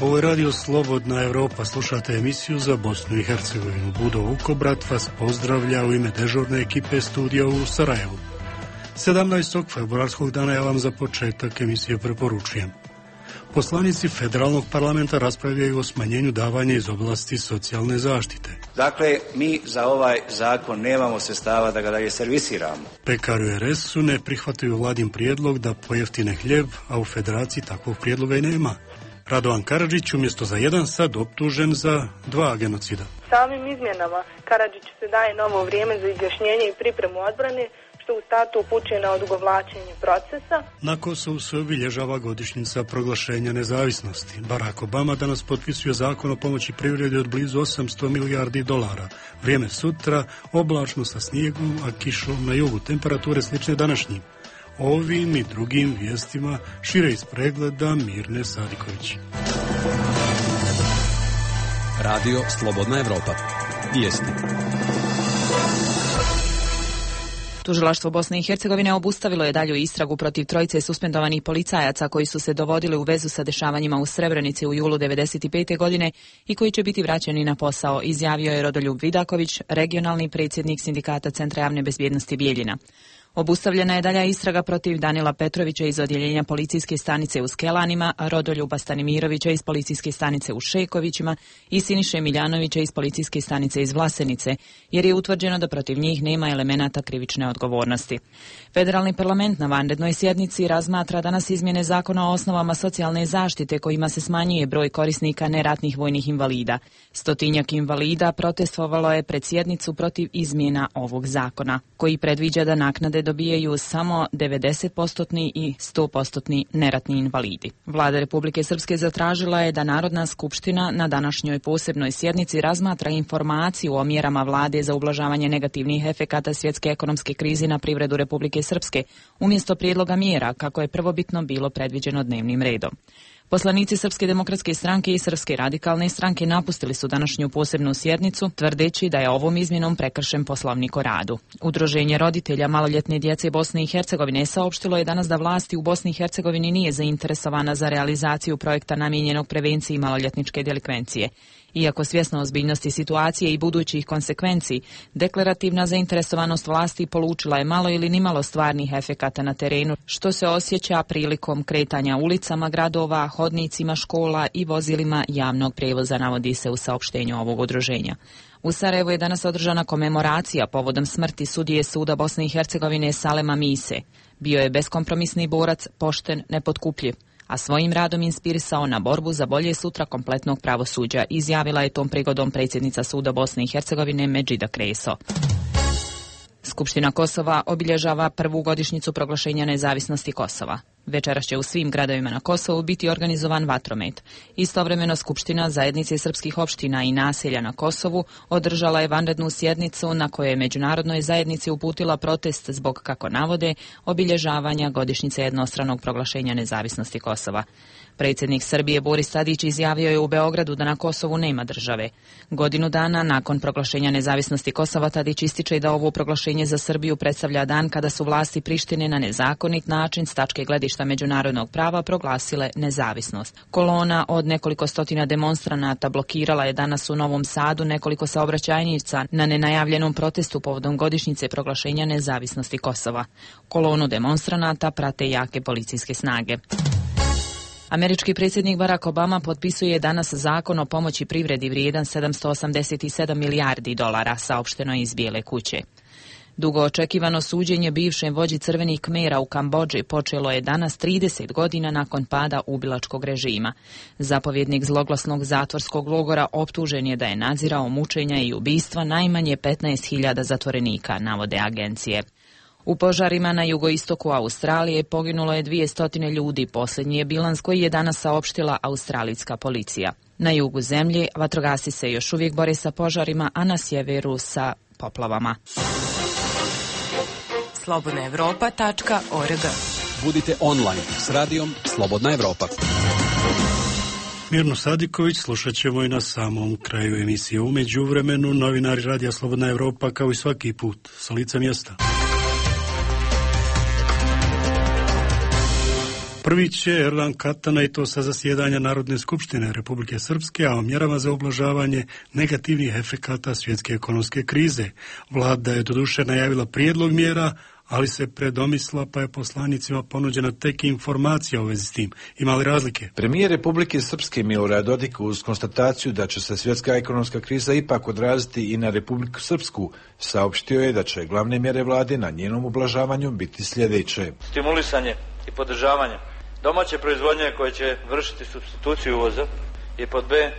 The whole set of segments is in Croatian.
Ovo je radio Slobodna Evropa, slušate emisiju za Bosnu i Hercegovinu. Budo Vukobrat vas pozdravlja u ime dežurne ekipe studija u Sarajevu. 17. februarskog dana ja vam za početak emisije preporučujem. Poslanici federalnog parlamenta raspravljaju o smanjenju davanja iz oblasti socijalne zaštite. Dakle, mi za ovaj zakon nemamo sredstava da ga dalje servisiramo. Pekari u RS-u ne prihvataju vladin prijedlog da pojeftine hljeb, a u federaciji takvog prijedloga i nema. Radovan Karadžić umjesto za jedan sad optužen za 2 genocida. Samim izmjenama Karadžiću se daje novo vrijeme za izjašnjenje i pripremu odbrane, što u startu upućuje na odugovlačenje procesa. Na Kosovu se obilježava godišnjica proglašenja nezavisnosti. Barack Obama danas potpisuje zakon o pomoći privredi od blizu 800 milijardi dolara. Vrijeme sutra, oblačno sa snijegom, a kišom na jugu. Temperature slične današnjim. Ovim i drugim vijestima šire iz pregleda Mirne Sadiković. Radio Slobodna Evropa. Vijesti. Tužilaštvo Bosne i Hercegovine obustavilo je dalju istragu protiv trojice suspendovanih policajaca koji su se dovodili u vezu sa dešavanjima u Srebrenici u julu 1995. godine i koji će biti vraćeni na posao, izjavio je Rodoljub Vidaković, regionalni predsjednik Sindikata Centra javne bezbjednosti Bijeljina. Obustavljena je dalja istraga protiv Danila Petrovića iz odjeljenja policijske stanice u Skelanima, Rodoljuba Stanimirovića iz policijske stanice u Šekovićima i Siniše Miljanovića iz policijske stanice iz Vlasenice, jer je utvrđeno da protiv njih nema elemenata krivične odgovornosti. Federalni parlament na vanrednoj sjednici razmatra danas izmjene zakona o osnovama socijalne zaštite kojima se smanjuje broj korisnika neratnih vojnih invalida. 100-tinjak invalida protestovalo je pred sjednicu protiv izmjena ovog zakona, koji predviđa da naknade dobijaju samo 90% i 100% neratni invalidi. Vlada Republike Srpske zatražila je da Narodna skupština na današnjoj posebnoj sjednici razmatra informaciju o mjerama vlade za ublažavanje negativnih efekata svjetske ekonomske krize na privredu Republike Srpske, umjesto prijedloga mjera kako je prvobitno bilo predviđeno dnevnim redom. Poslanici Srpske demokratske stranke i Srpske radikalne stranke napustili su današnju posebnu sjednicu, tvrdeći da je ovom izmjenom prekršen Poslovnik o radu. Udruženje roditelja maloljetne djece Bosne i Hercegovine saopštilo je danas da vlasti u Bosni i Hercegovini nije zainteresovana za realizaciju projekta namijenjenog prevenciji maloljetničke delikvencije. Iako svjesna ozbiljnosti situacije i budućih konsekvenciji, deklarativna zainteresovanost vlasti polučila je malo ili nimalo stvarnih efekata na terenu, što se osjeća prilikom kretanja ulicama gradova, hodnicima škola i vozilima javnog prijevoza, navodi se u saopštenju ovog udruženja. U Sarajevu je danas održana komemoracija povodom smrti sudije Suda Bosne i Hercegovine Salema Mise. Bio je beskompromisni borac, pošten, nepotkupljiv, a svojim radom inspirisao na borbu za bolje sutra kompletnog pravosuđa, izjavila je tom prigodom predsjednica Suda Bosne i Hercegovine Medžida Kreso. Skupština Kosova obilježava prvu godišnjicu proglašenja nezavisnosti Kosova. Večeras će u svim gradovima na Kosovu biti organizovan vatromet. Istovremeno Skupština zajednice srpskih opština i naselja na Kosovu održala je vanrednu sjednicu na kojoj je međunarodnoj zajednici uputila protest zbog, kako navode, obilježavanja godišnjice jednostranog proglašenja nezavisnosti Kosova. Predsjednik Srbije Boris Tadić izjavio je u Beogradu da na Kosovu nema države. Godinu dana nakon proglašenja nezavisnosti Kosova Tadić ističe da ovo proglašenje za Srbiju predstavlja dan kada su vlasti Prištine na nezakonit način s tačke gledišta međunarodnog prava proglasile nezavisnost. Kolona od nekoliko stotina demonstranata blokirala je danas u Novom Sadu nekoliko saobraćajnica na nenajavljenom protestu povodom godišnjice proglašenja nezavisnosti Kosova. Kolonu demonstranata prate jake policijske snage. Američki predsjednik Barack Obama potpisuje danas zakon o pomoći privredi vrijedan 787 milijardi dolara, saopšteno iz Bijele kuće. Dugo očekivano suđenje bivšem vođi crvenih Kmera u Kambodži počelo je danas 30 godina nakon pada ubilačkog režima. Zapovjednik zloglasnog zatvorskog logora optužen je da je nadzirao mučenja i ubistva najmanje 15.000 zatvorenika, navode agencije. U požarima na jugoistoku Australije poginulo je 200 ljudi, posljednji je bilans koji je danas saopštila australijska policija. Na jugu zemlje vatrogasci se još uvijek bore sa požarima, a na sjeveru sa poplavama. slobodnaevropa.org. Budite online s radijom Slobodna Evropa. Mirnu Sadiković slušat ćemo i na samom kraju emisije. U međuvremenu novinari Radija Slobodna Evropa kao i svaki put sa lica mjesta. Prvi će Erdogan Katana i to sa zasjedanja Narodne skupštine Republike Srpske, a o mjerama za ublažavanje negativnih efekata svjetske ekonomske krize. Vlada je doduše najavila prijedlog mjera, ali se predomisla pa je poslanicima ponuđena tek informacija u vezi s tim. Ima li razlike? Premijer Republike Srpske Milorad Dodik uz konstataciju da će se svjetska ekonomska kriza ipak odraziti i na Republiku Srpsku saopštio je da će glavne mjere vlade na njenom ublažavanju biti sljedeće. Stimulisanje i podržavanje domaće proizvodnje koje će vršiti supstituciju uvoza i pod B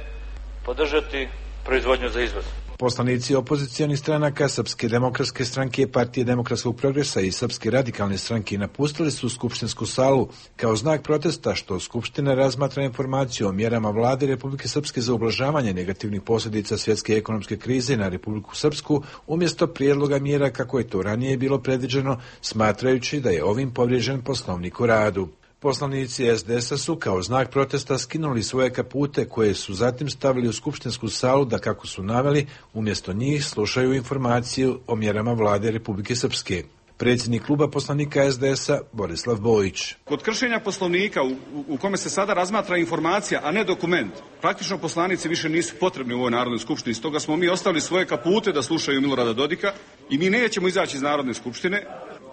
podržati proizvodnju za izvoz. Poslanici opozicionih stranaka Srpske demokratske stranke, Partije demokratskog progresa i Srpske radikalne stranke napustili su skupštinsku salu kao znak protesta što Skupština razmatra informaciju o mjerama vlade Republike Srpske za ublažavanje negativnih posljedica svjetske ekonomske krize na Republiku Srpsku umjesto prijedloga mjera kako je to ranije bilo predviđeno, smatrajući da je ovim povrijeđen Poslovnik o radu. Poslanici SDS-a su kao znak protesta skinuli svoje kapute koje su zatim stavili u skupštinsku salu da, kako su naveli, umjesto njih slušaju informaciju o mjerama vlade Republike Srpske. Predsjednik kluba poslanika SDS-a Borislav Bojić. Kod kršenja Poslovnika u kome se sada razmatra informacija, a ne dokument, praktično poslanici više nisu potrebni u ovoj Narodnoj skupštini. Stoga smo mi ostavili svoje kapute da slušaju Milorada Dodika i mi nećemo izaći iz Narodne skupštine,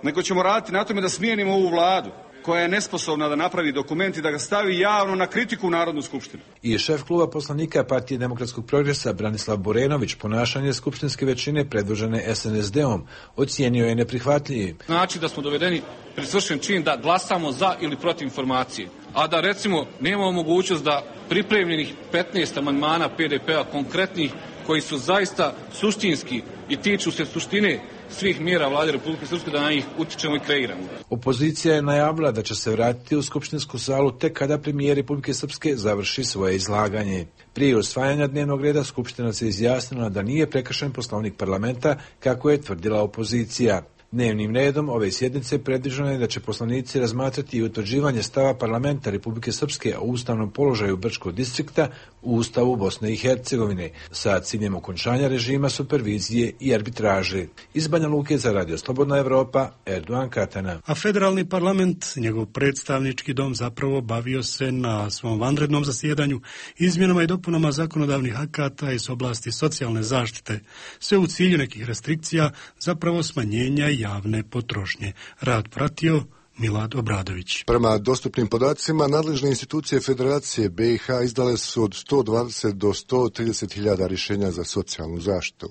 nego ćemo raditi na tome da smijenimo ovu vladu koja je nesposobna da napravi dokument i da ga stavi javno na kritiku u Narodnu skupštinu. I šef kluba poslanika Partije demokratskog progresa Branislav Borenović ponašanje skupštinske većine predvođene SNSD-om ocijenio je neprihvatljivim. Znači da smo dovedeni pred svršen čin da glasamo za ili protiv informacije, a da recimo nemamo mogućnost da pripremljenih 15 amandmana PDP-a konkretnih koji su zaista suštinski i tiču se suštine svih mjera vlade Republike Srpske da na njih utičemo i kreiramo. Opozicija je najavila da će se vratiti u skupštinsku salu tek kada premijer Republike Srpske završi svoje izlaganje. Prije usvajanja dnevnog reda Skupština se izjasnila da nije prekršen Poslovnik parlamenta kako je tvrdila opozicija. Dnevnim redom ove sjednice predviđeno je da će poslanici razmatrati i utvrđivanje stava parlamenta Republike Srpske o ustavnom položaju Brčkog distrikta u Ustavu Bosne i Hercegovine sa ciljem okončanja režima supervizije i arbitraže. Iz Banja Luke za Radio Slobodna Evropa, Erdogan Katana. A federalni parlament, njegov predstavnički dom, zapravo bavio se na svom vanrednom zasjedanju izmjenama i dopunama zakonodavnih akata iz oblasti socijalne zaštite, sve u cilju nekih restrikcija, zapravo smanjenja javne potrošnje. Rad pratio Milad Obradović. Prema dostupnim podacima, nadležne institucije Federacije BiH izdale su od 120 do 130 hiljada rješenja za socijalnu zaštitu.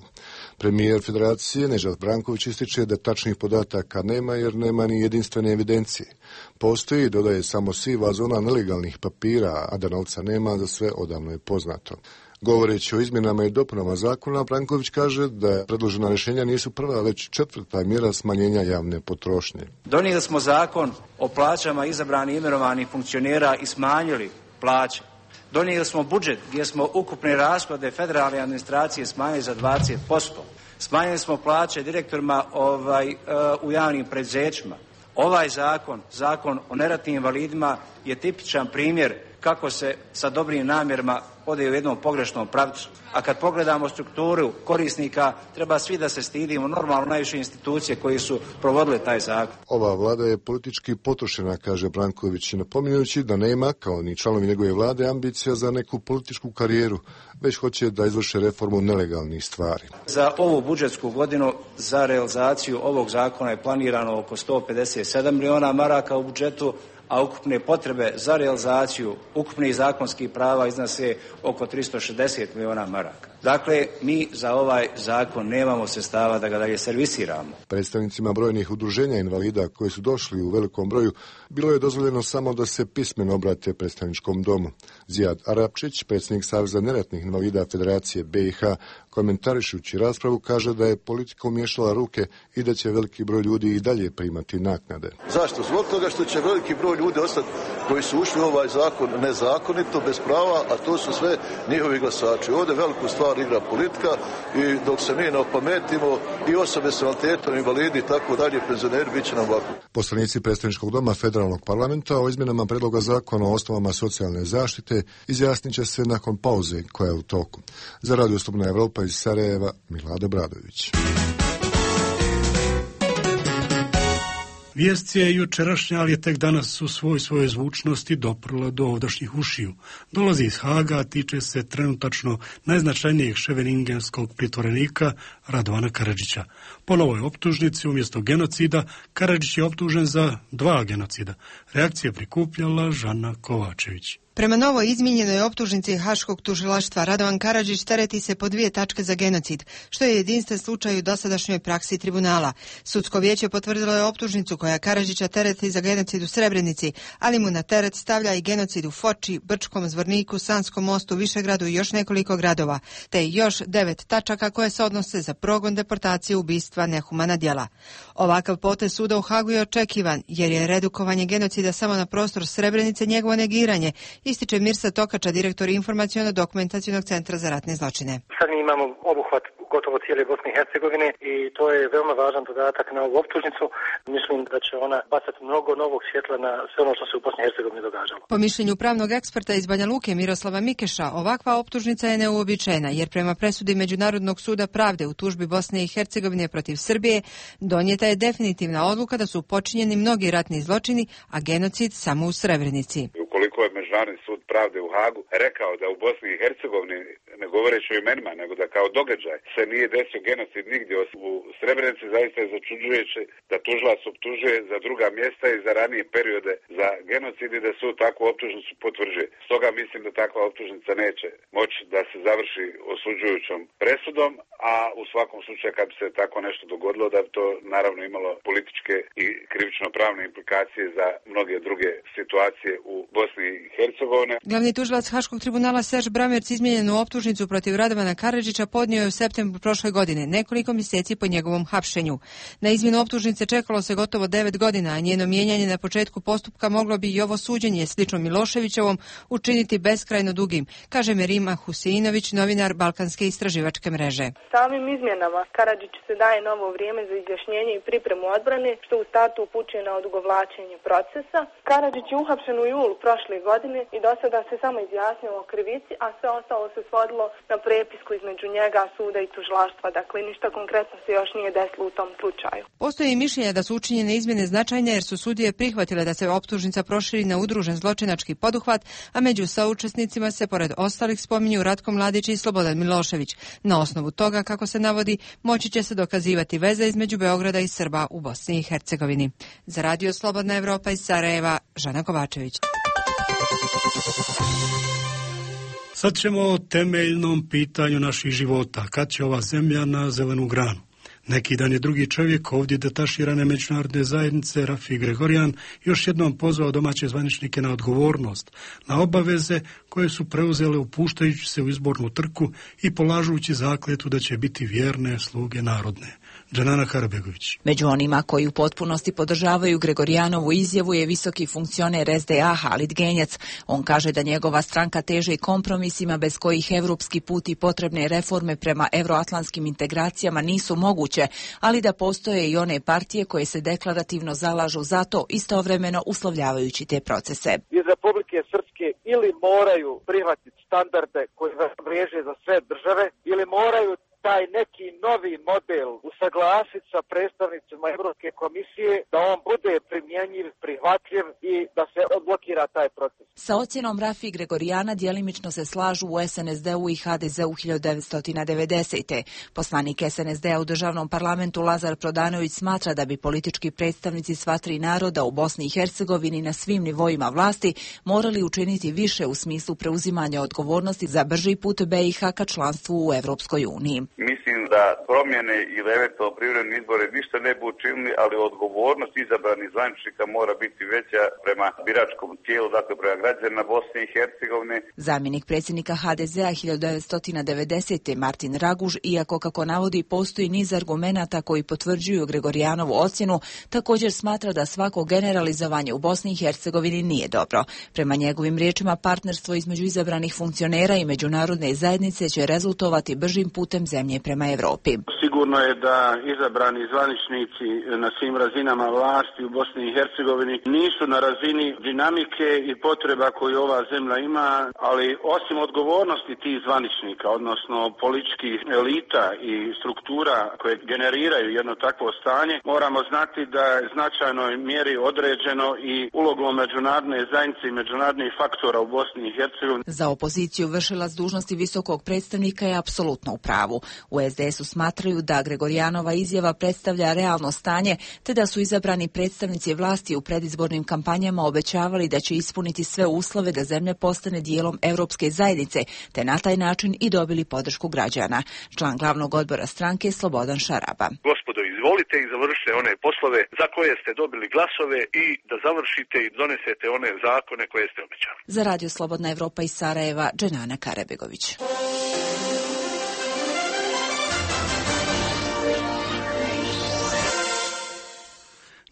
Premijer Federacije Nežad Branković ističe da tačnih podataka nema jer nema ni jedinstvene evidencije. Postoji, dodaje, samo siva zona nelegalnih papira, a da novca nema za sve odavno je poznato. Govoreći o izmjenama i dopunama zakona, Branković kaže da predložena rješenja nisu prva, već četvrta mjera smanjenja javne potrošnje. Donijeli smo zakon o plaćama izabranih i imenovanih funkcionera i smanjili plaće. Donijeli smo budžet gdje smo ukupne rashode federalne administracije smanjili za 20%. Smanjili smo plaće direktorima u javnim preduzećima. Ovaj zakon o neratnim invalidima je tipičan primjer kako se sa dobrim namjerama ode u jednom pogrešnom pravcu. A kad pogledamo strukturu korisnika, treba svi da se stidimo, normalno najviše institucije koji su provodile taj zakon. Ova vlada je politički potrošena, kaže Branković, napominjući da nema, kao ni članovi njegove vlade, ambicija za neku političku karijeru, već hoće da izvrše reformu nelegalnih stvari. Za ovu budžetsku godinu za realizaciju ovog zakona je planirano oko 157 miliona maraka u budžetu, a ukupne potrebe za realizaciju ukupnih zakonskih prava iznose oko 360 miliona maraka. Dakle, mi za ovaj zakon nemamo sredstava da ga dalje servisiramo. Predstavnicima brojnih udruženja invalida koji su došli u velikom broju, bilo je dozvoljeno samo da se pismeno obrate predstavničkom domu. Zijad Arapčić, predsjednik Saveza neratnih invalida Federacije BiH, komentarišući raspravu, kaže da je politika umiješala ruke i da će veliki broj ljudi i dalje primati naknade. Zašto? Zbog toga što će veliki broj ljudi ostati koji su ušli u ovaj zakon nezakonito, bez prava, a to su sve njihovi glasači. Ovdje veliku stvar igra politika i dok se mi ne opametimo i osobe s invaliditetom, invalidi i tako dalje, penzioneri, bit će nam ovako. Poslanici predstavničkog doma Federalnog parlamenta o izmjenama predloga zakona o osnovama socijalne zaštite izjasnit će se nakon pauze koja je u toku. Za Radio Slobodna Evropa iz Sarajeva, Milad Obradović. Vijest je jučerašnja, ali je tek danas u svojoj zvučnosti doprla do ovdašnjih ušiju. Dolazi iz Haga, a tiče se trenutačno najznačajnijeg ševeningenskog pritvorenika Radovana Karadžića. Po novoj optužnici umjesto genocida, Karadžić je optužen za 2 genocida. Reakcije prikupljala Žana Kovačević. Prema novoj izmijenjenoj optužnici Haškog tužilaštva Radovan Karadžić tereti se po 2 tačke za genocid, što je jedinstven slučaj u dosadašnjoj praksi tribunala. Sudsko vijeće potvrdilo je optužnicu koja Karadžića tereti za genocid u Srebrenici, ali mu na teret stavlja i genocid u Foči, Brčkom, Zvorniku, Sanskom mostu, Višegradu i još nekoliko gradova, te još 9 tačaka koje se odnose za progon, deportaciju, ubistva, nehumana djela. Ovakav potez suda u Hagu je očekivan, jer je redukovanje genocida samo na prostor Srebrenice njegovo negiranje, ističe Mirsa Tokača, direktor Informaciono-dokumentacionog centra za ratne zločine. Sad mi imamo obuhvat gotovo cijele Bosne i Hercegovine i to je veoma važan dodatak na ovu optužnicu. Mislim da će ona bacati mnogo novog svjetla na sve ono što se u Bosni i Hercegovini događalo. Po mišljenju pravnog eksperta iz Banja Luke Miroslava Mikeša, ovakva optužnica je neuobičajena, jer prema presudi Međunarodnog suda pravde u tužbi Bosne i Hercegovine protiv Srbije donijeta je definitivna odluka da su počinjeni mnogi ratni zločini, a genocid samo u Srebrenici. Ukoliko je Međunarodni sud pravde u Hagu rekao da u Bosni i Hercegovini, ne govoreći o imenima, nego da kao događaj se nije desio genocid nigdje u Srebrenici, zaista je začuđujuće da tužilac optužuje za druga mjesta i za ranije periode za genocid i da sud takvu optužnicu potvrđuje. Stoga mislim da takva optužnica neće moći da se završi osuđujućom presudom, a u svakom slučaju kad bi se tako nešto dogodilo da bi to naravno imalo političke i krivično-pravne implikacije za mnoge druge situacije u Bosni i Hercegovine. Glavni tužilac Haškog tribunala Serž Bramerc izmijenjenu optužnicu protiv Radovana Karadžića podnio je u septembru prošle godine, nekoliko mjeseci po njegovom hapšenju. Na izmjenu optužnice čekalo se gotovo 9 godina, a njeno mijenjanje na početku postupka moglo bi i ovo suđenje slično Miloševićevom učiniti beskrajno dugim, kaže Merima Huseinović, novinar Balkanske istraživačke mreže. Samim izmjenama Karadžiću se daje novo vrijeme za izjašnjenje i pripremu odbrane, što u startu upućuje na odugovlačenje procesa. Karadžić je uhapšen u julu prošle godine i do sada se samo izjasnio o krivici, a sve ostalo se svodilo na prepisku između njega, suda i tužilaštva. Dakle, ništa konkretno se još nije desilo u tom slučaju. Postoji i mišljenje da su učinjene izmjene značajne jer su sudije prihvatile da se optužnica proširi na udružen zločinački poduhvat, a među saučesnicima se pored ostalih spominju Ratko Mladić i Slobodan Milošević. Na osnovu toga, kako se navodi, moći će se dokazivati veze između Beograda i Srba u Bosni i Hercegovini. Za Radio Slobodna Evropa iz Sarajeva, Žana Kovačević. Sad ćemo o temeljnom pitanju naših života. Kad će ova zemlja na zelenu granu? Neki dan je drugi čovjek ovdje detaširane međunarodne zajednice, Rafi Gregorijan, još jednom pozvao domaće zvaničnike na odgovornost, na obaveze koje su preuzele upuštajući se u izbornu trku i polažući zakletu da će biti vjerne sluge narodne. Džanana Karabegović. Među onima koji u potpunosti podržavaju Gregorijanovu izjavu je visoki funkcioner SDA Halid Genjac. On kaže da njegova stranka teži kompromisima bez kojih evropski put i potrebne reforme prema euroatlantskim integracijama nisu moguće, ali da postoje i one partije koje se deklarativno zalažu za to, istovremeno uslovljavajući te procese. Iz Republike Srpske ili moraju prihvatiti standarde koji vriježe za sve države, ili moraju taj neki novi model usaglasiti sa predstavnicima Evropske komisije, da on bude primjenjiv, prihvatljiv i da se odblokira taj proces. Sa ocjenom Rafi Gregorijana djelimično se slažu u SNSD-u i HDZ-u 1990. Poslanik SNSD-a u državnom parlamentu Lazar Prodanović smatra da bi politički predstavnici sva tri naroda u Bosni i Hercegovini na svim nivoima vlasti morali učiniti više u smislu preuzimanja odgovornosti za brži put BiH ka članstvu u Evropskoj uniji. Mislim da promjene ili eventualno privremeni izbore ništa ne bi učinili, ali odgovornost izabranih zvaničnika mora biti veća prema biračkom tijelu, dakle prema građanima Bosne i Hercegovine. Zamjenik predsjednika HDZ-a 1990. Martin Raguž, iako kako navodi postoji niz argumenata koji potvrđuju Gregorijanovu ocjenu, također smatra da svako generalizovanje u Bosni i Hercegovini nije dobro. Prema njegovim riječima, partnerstvo između izabranih funkcionera i međunarodne zajednice će rezultovati bržim putem zemlje prema Evropi. Sigurno je da izabrani zvaničnici na svim razinama vlasti u Bosni i Hercegovini nisu na razini dinamike i potreba koju ova zemlja ima, ali osim odgovornosti tih zvaničnika, odnosno političkih elita i struktura koje generiraju jedno takvo stanje, moramo znati da je značajnoj mjeri određeno i ulogom međunarodne zajednice i međunarodnih faktora u Bosni i Hercegovini. Za opoziciju vršilac dužnosti visokog predstavnika je apsolutno u pravu. U SDS-u smatraju da Gregorijanova izjava predstavlja realno stanje, te da su izabrani predstavnici vlasti u predizbornim kampanjama obećavali da će ispuniti sve uslove da zemlja postane dijelom Europske zajednice, te na taj način i dobili podršku građana. Član glavnog odbora stranke Slobodan Šaraba. Gospodo, izvolite i završite one poslove za koje ste dobili glasove i da završite i donesete one zakone koje ste obećali. Za Radio Slobodna Evropa iz Sarajeva, Dženana Karabegović.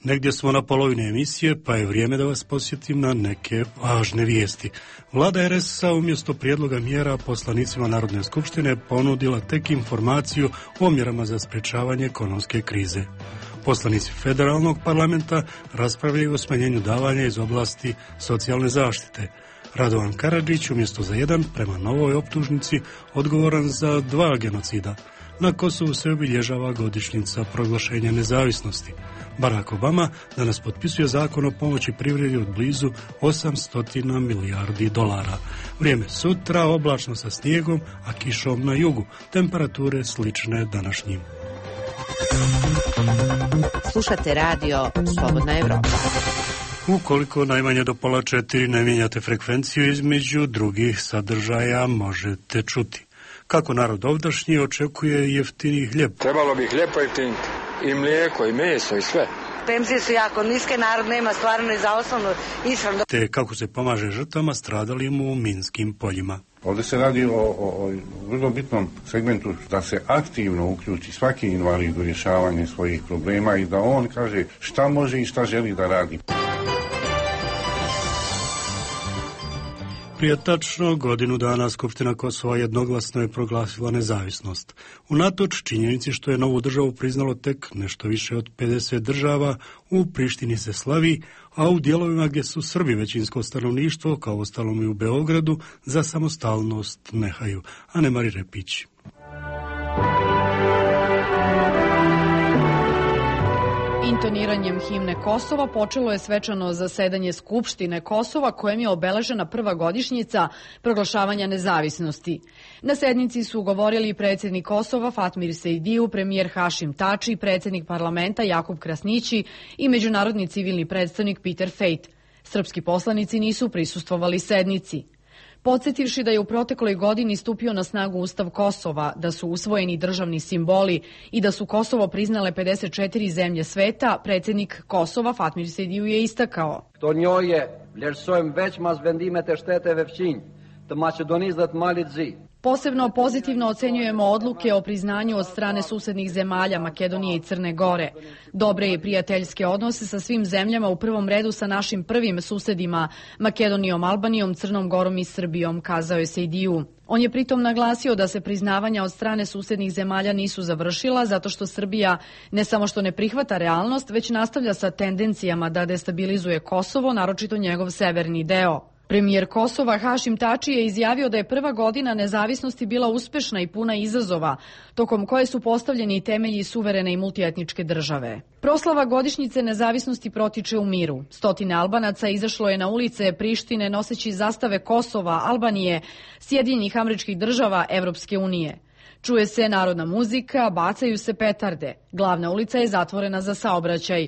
Negdje smo na polovini emisije, pa je vrijeme da vas posjetim na neke važne vijesti. Vlada RS-a umjesto prijedloga mjera poslanicima Narodne skupštine ponudila tek informaciju o mjerama za sprječavanje ekonomske krize. Poslanici federalnog parlamenta raspravljaju o smanjenju davanja iz oblasti socijalne zaštite. Radovan Karadžić umjesto za jedan, prema novoj optužnici, odgovoran za 2 genocida. Na Kosovu se obilježava godišnjica proglašenja nezavisnosti. Barack Obama danas potpisuje zakon o pomoći privredi od blizu 800 milijardi dolara. Vrijeme sutra oblačno sa snijegom, a kišom na jugu. Temperature slične današnjim. Slušate radio Slobodna Evropa. Ukoliko najmanje do 3:30 ne mijenjate frekvenciju, između drugih sadržaja možete čuti kako narod ovdašnji očekuje jeftiniji hljeb. Trebalo bi hljeb pojeftiniti, i mlijeko, i meso, i sve. Penzije su jako niske, narod nema stvarno i za osnovnu ishranu. Te kako se pomaže žrtvama stradalim u minskim poljima. Ovdje se radi o vrlo bitnom segmentu da se aktivno uključi svaki invalid u rješavanje svojih problema i da on kaže šta može i šta želi da radi. Prije tačno godinu dana Skupština Kosova jednoglasno je proglasila nezavisnost. Unatoč činjenici što je novu državu priznalo tek nešto više od 50 država, u Prištini se slavi, a u dijelovima gdje su Srbi većinsko stanovništvo, kao ostalom i u Beogradu, za samostalnost nehaju. Anemari Repić. Intoniranjem himne Kosova počelo je svečano zasedanje Skupštine Kosova, kojem je obeležena prva godišnjica proglašavanja nezavisnosti. Na sednici su govorili predsjednik Kosova Fatmir Sejdiju, premijer Hašim Tači, predsjednik parlamenta Jakub Krasnići i međunarodni civilni predstavnik Peter Fejt. Srpski poslanici nisu prisustvovali sednici. Podsjetivši da je u protekloj godini stupio na snagu Ustav Kosova, da su usvojeni državni simboli i da su Kosovo priznale 54 zemlje sveta, predsjednik Kosova Fatmir Sejdiju je istakao. To njoj je vlerësojmë veç mas vendimet e shteteve fqinj të Maqedonisë dhe të Malit Zi. Posebno pozitivno ocenjujemo odluke o priznanju od strane susednih zemalja Makedonije i Crne Gore. Dobre i prijateljske odnose sa svim zemljama, u prvom redu sa našim prvim susedima Makedonijom, Albanijom, Crnom Gorom i Srbijom, kazao je Sejdiju. On je pritom naglasio da se priznavanja od strane susednih zemalja nisu završila zato što Srbija ne samo što ne prihvata realnost, već nastavlja sa tendencijama da destabilizuje Kosovo, naročito njegov severni deo. Premijer Kosova Hašim Tači je izjavio da je prva godina nezavisnosti bila uspešna i puna izazova, tokom koje su postavljeni temelji suverene i multietničke države. Proslava godišnjice nezavisnosti protiče u miru. Stotine Albanaca izašlo je na ulice Prištine noseći zastave Kosova, Albanije, Sjedinjenih Američkih Država, Evropske unije. Čuje se narodna muzika, bacaju se petarde. Glavna ulica je zatvorena za saobraćaj.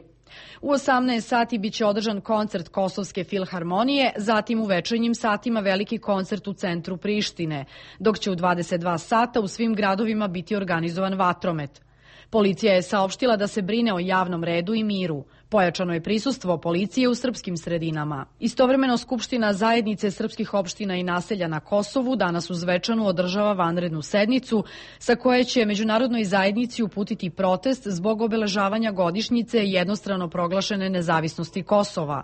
U 18 sati biće održan koncert Kosovske filharmonije, zatim u večernjim satima veliki koncert u centru Prištine, dok će u 22 sata u svim gradovima biti organizovan vatromet. Policija je saopštila da se brine o javnom redu i miru. Pojačano je prisustvo policije u srpskim sredinama. Istovremeno Skupština zajednice srpskih opština i naselja na Kosovu danas u Zvečanu održava vanrednu sednicu sa koje će međunarodnoj zajednici uputiti protest zbog obeležavanja godišnjice jednostrano proglašene nezavisnosti Kosova.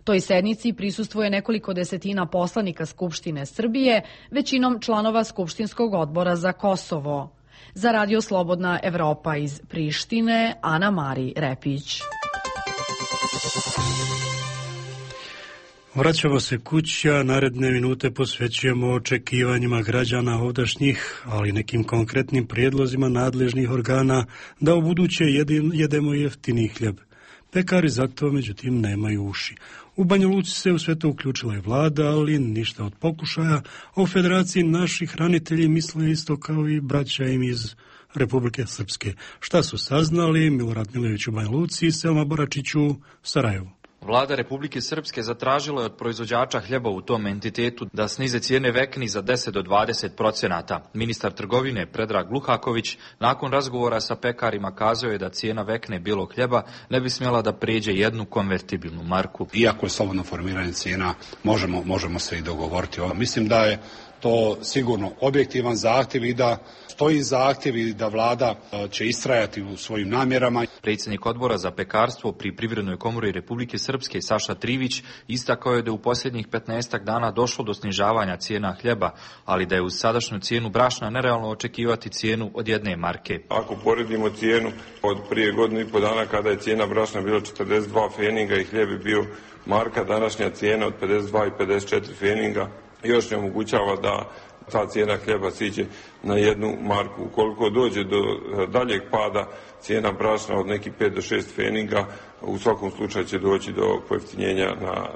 Toj sednici prisustvuje nekoliko desetina poslanika Skupštine Srbije, većinom članova Skupštinskog odbora za Kosovo. Za Radio Slobodna Evropa iz Prištine, Ana Mari Repić. Vraćamo se kući, a naredne minute posvećujemo očekivanjima građana ovdašnjih, ali nekim konkretnim prijedlozima nadležnih organa da u buduće jedemo jeftini hljeb. Pekari zato, međutim, nemaju uši. U Banja Luci se u sve to uključila i vlada, ali ništa od pokušaja. O Federaciji naši hranitelji misle isto kao i braća im iz Republike Srpske. Šta su saznali? Milorad Milojević u Banja Luci i Selma Boračić u Sarajevu. Vlada Republike Srpske zatražila je od proizvođača hljeba u tom entitetu da snize cijene vekni za 10 do 20%. Ministar trgovine Predrag Luhaković nakon razgovora sa pekarima kazao je da cijena vekne bijelog hljeba ne bi smjela da pređe jednu konvertibilnu marku. Iako je slobodno formiranje cijena, možemo se i dogovoriti. Mislim da je to sigurno objektivan zahtjev i da stoji zahtjev i da vlada će istrajati u svojim namjerama. Predsjednik odbora za pekarstvo pri Privrednoj komori Republike Srpske Saša Trivić istakao je da u posljednjih 15 dana došlo do snižavanja cijena hljeba, ali da je uz sadašnju cijenu brašna nerealno očekivati cijenu od 1 marke. Ako poredimo cijenu od prije godinu i po dana kada je cijena brašna bila 42 feninga i hljeb je bio marka, današnja cijena od 52 i 54 feninga još ne omogućava da ta cijena hljeba siđe na 1 marku. Ukoliko dođe do daljeg pada cijena brašna od nekih 5 do 6 feninga, u svakom slučaju će doći do pojeftinjenja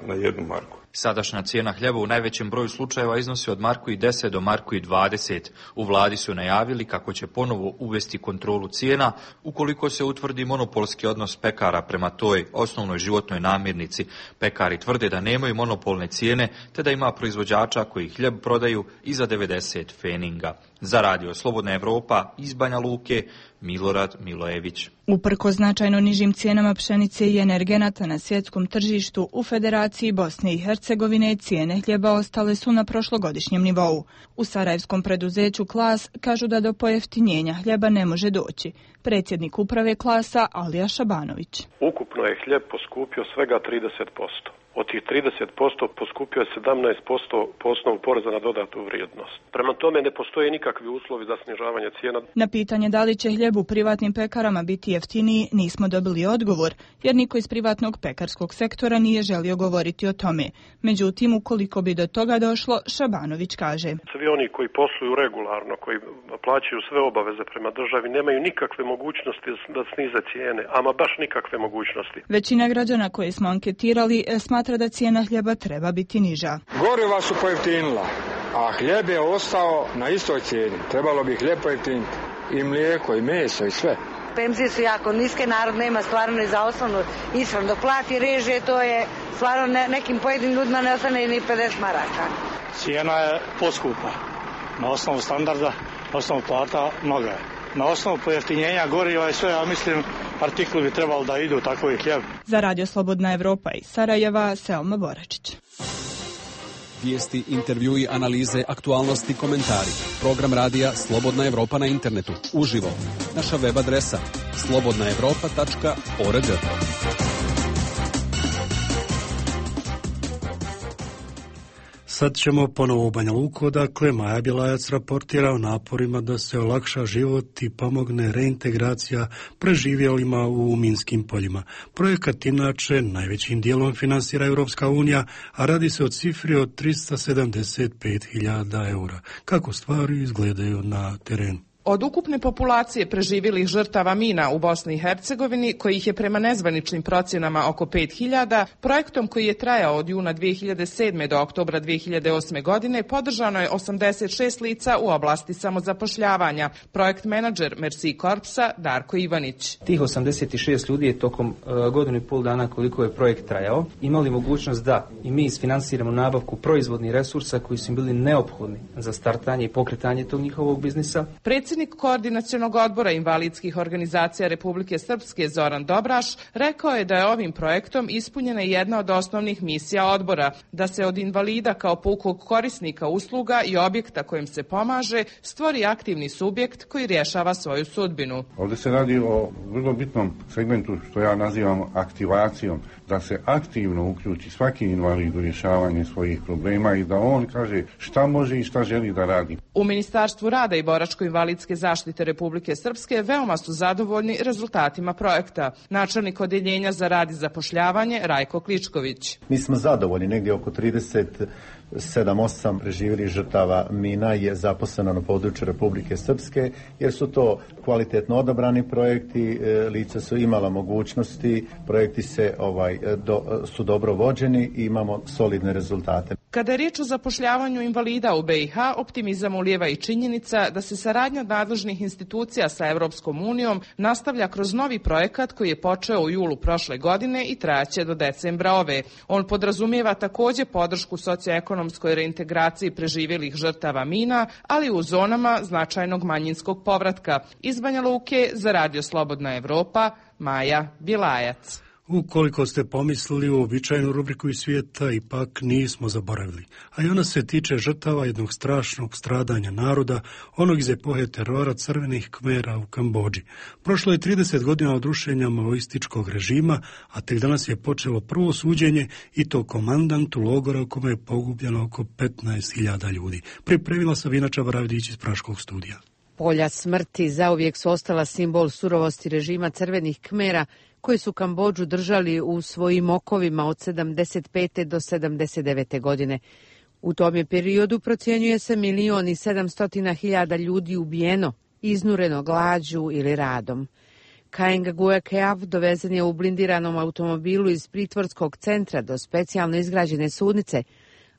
na 1 marku. Sadašnja cijena hljeba u najvećem broju slučajeva iznosi od 1,10 do 1,20. U vladi su najavili kako će ponovo uvesti kontrolu cijena ukoliko se utvrdi monopolski odnos pekara prema toj osnovnoj životnoj namirnici. Pekari tvrde da nemaju monopolne cijene te da ima proizvođača koji hljeb prodaju i za 90 feninga. Za Radio Slobodna Evropa iz Banja Luke, Milorad Milojević. Uprkos značajno nižim cijenama pšenice i energenata na svjetskom tržištu, u Federaciji Bosne i Hercegovine cijene hljeba ostale su na prošlogodišnjem nivou. U sarajevskom preduzeću Klas kažu da do pojeftinjenja hljeba ne može doći. Predsjednik uprave Klasa Alija Šabanović. Ukupno je hljeb poskupio svega 30%. Od tih 30% poskupio je 17% po osnovu poreza na dodatu vrijednost. Prema tome ne postoje nikakvi uslovi za snižavanje cijena. Na pitanje da li će hljeb u privatnim pekarama biti jeftiniji nismo dobili odgovor, jer niko iz privatnog pekarskog sektora nije želio govoriti o tome. Međutim, ukoliko bi do toga došlo, Šabanović kaže. Svi oni koji posluju regularno, koji plaćaju sve obaveze prema državi, nemaju nikakve mogućnosti da snize cijene, ama baš nikakve mogućnosti. Većina građana koje smo anketirali smatra da cijena hljeba treba biti niža. Goriva su pojeftinila, a hljeb je ostao na istoj cijeni. Trebalo bi hljeb pojeftiniti i mlijeko i meso i sve. Penzije su jako niske, narod nema stvarno ni za osnovnu ishranu. Dok plati režije, to je stvarno nekim pojedinim ljudima ne ostane ni 50 maraka. Cijena je poskupa. Na osnovu standarda, na osnovu plata mnoga je. Na osnovu pojeftinjenja goriva i sve, ja mislim, artikli bi trebalo da idu tako i hljeb. Za Radio Slobodna Evropa iz Sarajeva, Selma Boračić. Vijesti, intervjui, analize, aktualnosti, komentari. Program radija Slobodna Evropa na internetu. Uživo. Naša web adresa slobodnaevropa.org. Sad ćemo ponovo u Banja Luku, dakle Maja Bjelajac raportira o naporima da se olakša život i pomogne reintegracija preživjelima u minskim poljima. Projekat inače najvećim dijelom finansira Europska unija, a radi se o cifri od 375.000 eura. Kako stvari izgledaju na terenu? Od ukupne populacije preživjelih žrtava mina u Bosni i Hercegovini, kojih je prema nezvaničnim procjenama oko 5.000, projektom koji je trajao od juna 2007. do oktobra 2008. godine podržano je 86 lica u oblasti samozapošljavanja. Projekt menadžer Merci Korpsa Darko Ivanić. Tih 86 ljudi je tokom godinu i pol dana koliko je projekt trajao imali mogućnost da i mi isfinansiramo nabavku proizvodnih resursa koji su im bili neophodni za startanje i pokretanje tog njihovog biznisa. Predsjednik Koordinacionog odbora invalidskih organizacija Republike Srpske Zoran Dobraš rekao je da je ovim projektom ispunjena jedna od osnovnih misija odbora, da se od invalida kao pukog korisnika usluga i objekta kojim se pomaže stvori aktivni subjekt koji rješava svoju sudbinu. Ovdje se radi o vrlo bitnom segmentu što ja nazivam aktivacijom, da se aktivno uključi svaki invalid u rješavanje svojih problema i da on kaže šta može i šta želi da radi. U Ministarstvu rada i boračko-invalidske civilne zaštite Republike Srpske veoma su zadovoljni rezultatima projekta. Načelnik Odeljenja za rad i zapošljavanje Rajko Kličković. Mi smo zadovoljni, negdje oko 37-8 preživjelih žrtava mina je zaposleno na području Republike Srpske, jer su to kvalitetno odabrani projekti, lica su imala mogućnosti, projekti su dobro vođeni i imamo solidne rezultate. Kada je riječ o zapošljavanju invalida u BiH, optimizam ulijeva i činjenica da se saradnja nadležnih institucija sa Evropskom unijom nastavlja kroz novi projekat koji je počeo u julu prošle godine i trajaće do decembra ove. On podrazumijeva također podršku socioekonomskoj reintegraciji preživjelih žrtava mina, ali u zonama značajnog manjinskog povratka. Iz Banja Luke za Radio Slobodna Evropa, Maja Bilajac. Ukoliko ste pomislili u uobičajenu rubriku iz svijeta, ipak nismo zaboravili. A i ona se tiče žrtava jednog strašnog stradanja naroda, onog iz epohe terora crvenih Kmera u Kambodži. Prošlo je 30 godina od rušenja maoističkog režima, a tek danas je počelo prvo suđenje i to komandantu logora u kome je pogubljeno oko 15.000 ljudi. Pripremila Sabina Čabaravdić iz Praškog studija. Polja smrti zauvijek su ostala simbol surovosti režima crvenih Kmera, koji su Kambodžu držali u svojim okovima od 75. do 79. godine. U tom je periodu procjenjuje se 1.700.000 ljudi ubijeno, iznureno glađu ili radom. Kaeng Guekeav dovezen je u blindiranom automobilu iz pritvorskog centra do specijalno izgrađene sudnice,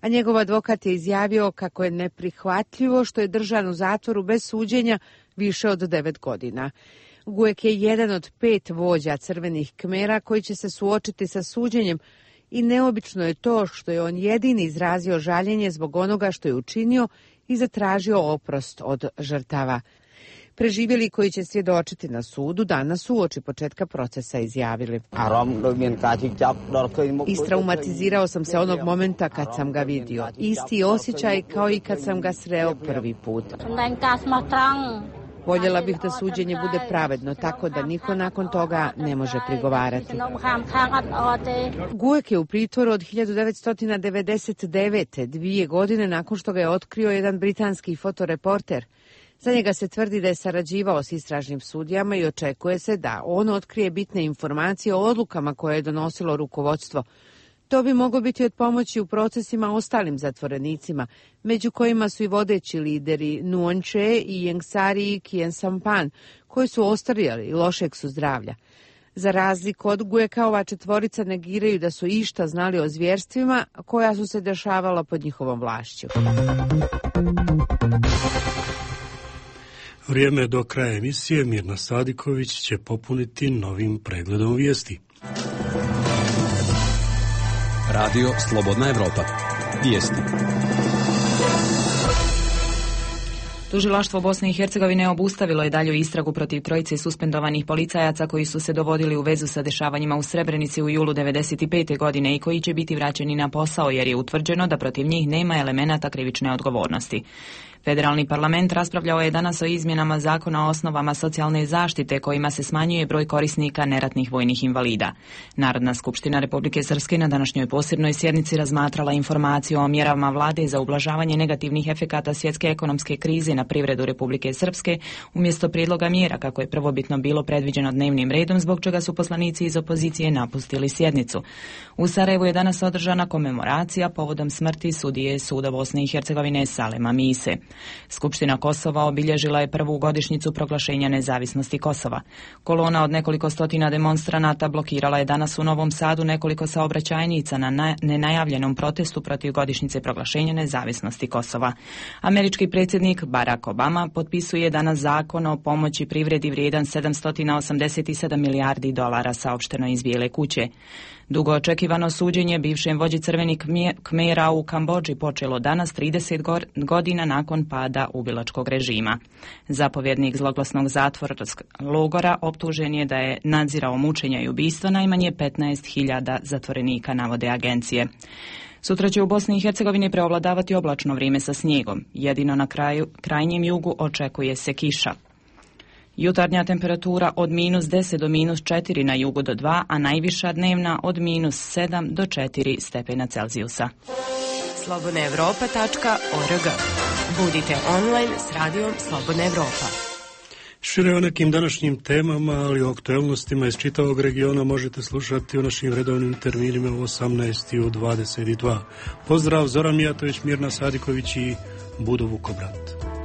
a njegov advokat je izjavio kako je neprihvatljivo što je držan u zatvoru bez suđenja više od 9 godina. Guek je jedan od 5 vođa crvenih Kmera koji će se suočiti sa suđenjem i neobično je to što je on jedini izrazio žaljenje zbog onoga što je učinio i zatražio oprost od žrtava. Preživjeli koji će svjedočiti na sudu danas uoči početka procesa izjavili. Istraumatizirao sam se onog momenta kad sam ga vidio. Isti osjećaj kao i kad sam ga sreo prvi put. Voljela bih da suđenje bude pravedno, tako da niko nakon toga ne može prigovarati. Guek je u pritvoru od 1999. 2 godine nakon što ga je otkrio jedan britanski fotoreporter. Za njega se tvrdi da je sarađivao s istražnim sudijama i očekuje se da on otkrije bitne informacije o odlukama koje je donosilo rukovodstvo. To bi moglo biti od pomoći u procesima ostalim zatvorenicima, među kojima su i vodeći lideri Nuon Che i Jengsari Kyensampan, koji su ostarijali i lošeg su zdravlja. Za razliku od Gueka, ova četvorica negiraju da su išta znali o zvjerstvima koja su se dešavala pod njihovom vlašću. Vrijeme do kraja emisije Mirna Sadiković će popuniti novim pregledom vijesti. Radio Slobodna Evropa. Vijesti. Tužilaštvo Bosne i Hercegovine obustavilo je dalju istragu protiv trojice suspendovanih policajaca koji su se dovodili u vezu sa dešavanjima u Srebrenici u julu 1995. godine i koji će biti vraćeni na posao jer je utvrđeno da protiv njih nema elemenata krivične odgovornosti. Federalni parlament raspravljao je danas o izmjenama zakona o osnovama socijalne zaštite kojima se smanjuje broj korisnika neratnih vojnih invalida. Narodna skupština Republike Srpske na današnjoj posebnoj sjednici razmatrala informaciju o mjerama vlade za ublažavanje negativnih efekata svjetske ekonomske krize na privredu Republike Srpske umjesto prijedloga mjera kako je prvobitno bilo predviđeno dnevnim redom, zbog čega su poslanici iz opozicije napustili sjednicu. U Sarajevu je danas održana komemoracija povodom smrti sudije Suda Bosne i Hercegovine Salema Mise. Skupština Kosova obilježila je prvu godišnjicu proglašenja nezavisnosti Kosova. Kolona od nekoliko stotina demonstranata blokirala je danas u Novom Sadu nekoliko saobraćajnica na nenajavljenom protestu protiv godišnjice proglašenja nezavisnosti Kosova. Američki predsjednik Barack Obama potpisuje danas zakon o pomoći privredi vrijedan $787 milijardi, saopšteno iz Bijele kuće. Dugo očekivano suđenje bivšem vođi crvenih Kmera u Kambodži počelo danas 30 godina nakon pada ubilačkog režima. Zapovjednik zloglasnog zatvorskog logora optužen je da je nadzirao mučenja i ubistva najmanje 15.000 zatvorenika, navode agencije. Sutra će u Bosni i Hercegovini preovladavati oblačno vrijeme sa snijegom. Jedino na krajnjem jugu očekuje se kiša. Jutarnja temperatura od -10 do -4 na jugu do 2, a najviša dnevna od -7 do 4 stepena Celzijusa. slobodnaevropa.org. Budite online s radijom Slobodna Evropa. Šire o nekim današnjim temama, ali o aktuelnostima iz čitavog regiona možete slušati u našim redovnim terminima u 18 i u 22. Pozdrav, Zoran Mijatović, Mirna Sadiković i Budo Vukobrat.